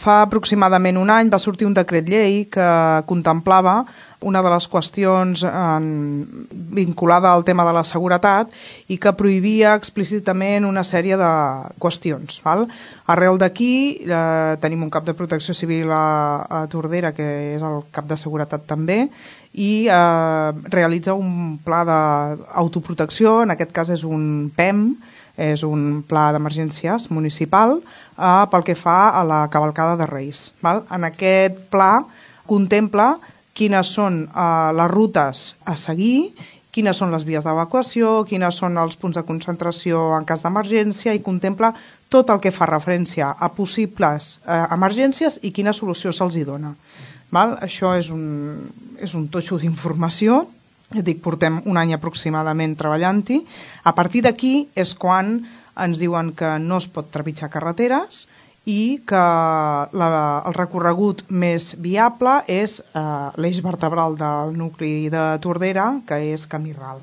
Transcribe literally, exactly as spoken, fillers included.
Fa aproximadament un any va sortir un decret llei que contemplava una de les qüestions en, vinculada al tema de la seguretat i que prohibia explícitament una sèrie de qüestions. Val? Arrel d'aquí eh, tenim un cap de protecció civil a, a Tordera, que és el cap de seguretat també, i eh, realitza un pla d'autoprotecció, en aquest cas és un P E M, és un pla d'emergències municipal eh, pel que fa a la cavalcada de Reis. Val? En aquest pla contempla quines són eh, les rutes a seguir, quines són les vies d'evacuació, quines són els punts de concentració en cas d'emergència i contempla tot el que fa referència a possibles eh, emergències i quina solució se'ls hi dona. Val? Això és un, és un totxo d'informació. Ja dic, portem un any aproximadament treballant-hi. A partir d'aquí és quan ens diuen que no es pot trepitjar carreteres i que la, el recorregut més viable és eh, l'eix vertebral del nucli de Tordera, que és Camí Ral.